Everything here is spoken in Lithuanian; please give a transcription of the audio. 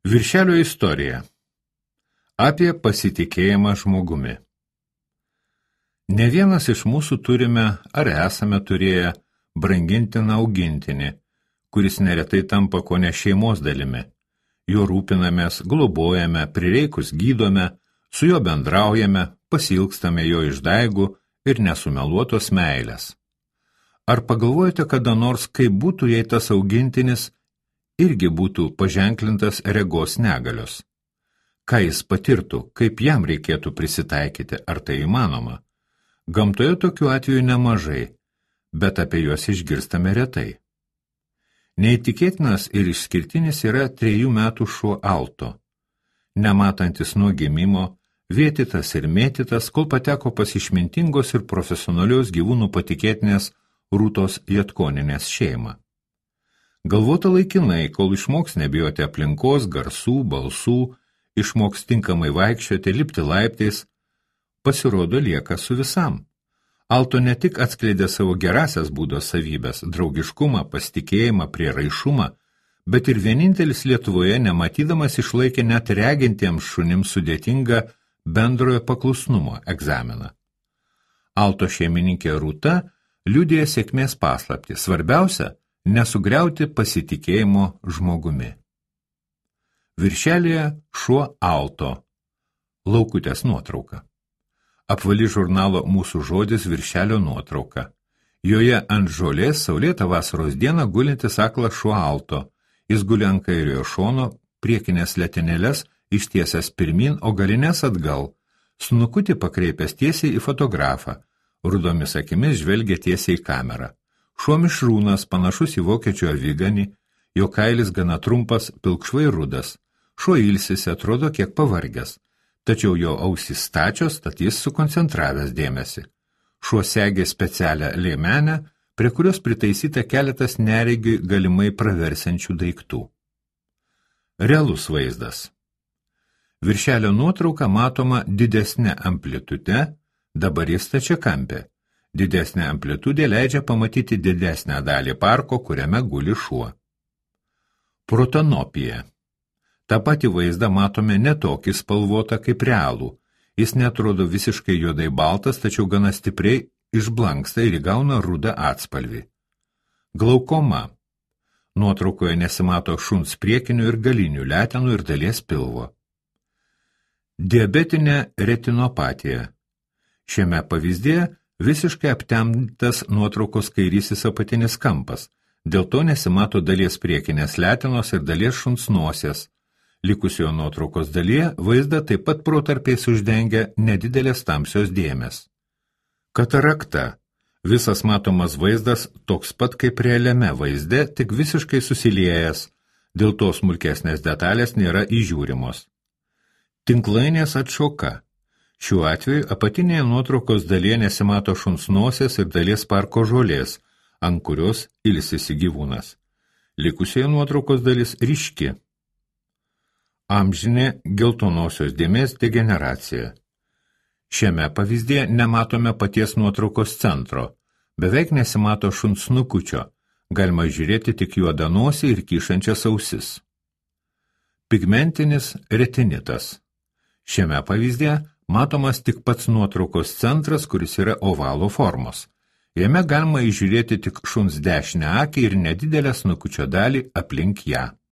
Viršelio istorija. Apie pasitikėjimą žmogumi. Ne vienas iš mūsų turime ar esame turėję brangintiną augintinį, kuris neretai tampa kone šeimos dalimi. Jo rūpinamės, globojame, prireikus gydome, su juo bendraujame, pasilgstame jo išdaigų ir nesumeluotos meilės. Ar pagalvojate kada nors, kaip būtų, jei tas augintinis irgi būtų paženklintas regos negalios? Ką jis patirtų, kaip jam reikėtų prisitaikyti, ar tai įmanoma? Gamtoje tokių atvejų nemažai, bet apie juos išgirstame retai. Neįtikėtinas ir išskirtinis yra 3 metų šuo Alto. Nematantis nuo gimimo, vėtytas ir mėtytas, kol pateko pas išmintingos ir profesionalios gyvūnų patikėtinės Rūtos Jatkoninės šeimą. Galvota laikinai, kol išmoks nebijoti aplinkos, garsų, balsų, išmoks tinkamai vaikščioti, lipti laiptais, pasirodo lieka su visam. Alto ne tik atskleidė savo gerasias būdo savybės, draugiškumą, pasitikėjimą, prieraišumą, bet ir vienintelis Lietuvoje nematydamas išlaikė net regintiems šunims sudėtingą bendrojo paklusnumo egzaminą. Alto šeimininkė Rūta liudija sėkmės paslaptį. Svarbiausia – nesugriauti pasitikėjimo žmogumi. Viršelyje šuo Alto. Laukutės nuotrauka. Apvali žurnalo Mūsų žodis viršelio nuotrauka. Joje ant žolės saulėtą vasaros dieną gulintis aklas šuo Alto. Jis guli ant kairiojo šono, priekinės letenėles ištiesęs pirmin, o galinės atgal. Snukutį pakreipęs tiesiai į fotografą. Rudomis akimis žvelgia tiesiai į kamerą. Šuo mišrūnas, panašus į vokiečių aviganį, jo kailis gana trumpas, pilkšvai rudas. Šuo ilsisi, atrodo kiek pavargęs, tačiau jo ausys stačios, tad jis sukoncentravęs dėmesį. Šuo segė specialią liemenę, prie kurios pritaisyta keletas neregiui galimai praversiančių daiktų. Realus vaizdas. Viršelio nuotrauka matoma didesnė amplitude, dabar jis stačiakampė. Didesnė amplitudė leidžia pamatyti didesnę dalį parko, kuriame guli šuo. Protanopija. Ta pati vaizdą matome ne tokį spalvotą kaip realų. Jis netrodo visiškai juodai baltas, tačiau gana stipriai išblanksta ir įgauna rudą atspalvį. Glaukoma. Nuotraukoje nesimato šuns priekinių ir galinių letenų ir dalies pilvo. Diabetinė retinopatija. Šiame pavyzdėje visiškai aptemdytas nuotraukos kairysis apatinis kampas, dėl to nesimato dalies priekinės letenos ir dalies šuns nosies. Likusioje nuotraukos dalyje vaizdą taip pat protarpiais uždengia nedidelės tamsios dėmės. Katarakta. Visas matomas vaizdas toks pat kaip realiame vaizde, tik visiškai susiliejęs, dėl to smulkesnės detalės nėra įžiūrimos. Tinklainės atšoka. Šiuo atveju apatinėje nuotraukos dalyje nesimato šuns nosies ir dalies parko žolės, ant kurios ilsisi gyvūnas. Likusioje nuotraukos dalis ryški. Amžinė geltonosios dėmės degeneracija. Šiame pavyzdėje nematome paties nuotraukos centro, beveik nesimato šuns snukučio, galima žiūrėti tik juodą nosį ir kyšančias ausis. Pigmentinis retinitas. Šiame pavyzdėje matomas tik pats nuotraukos centras, kuris yra ovalo formos. Jame galima įžiūrėti tik šuns dešinę akį ir nedidelę snukučio dalį aplink ją.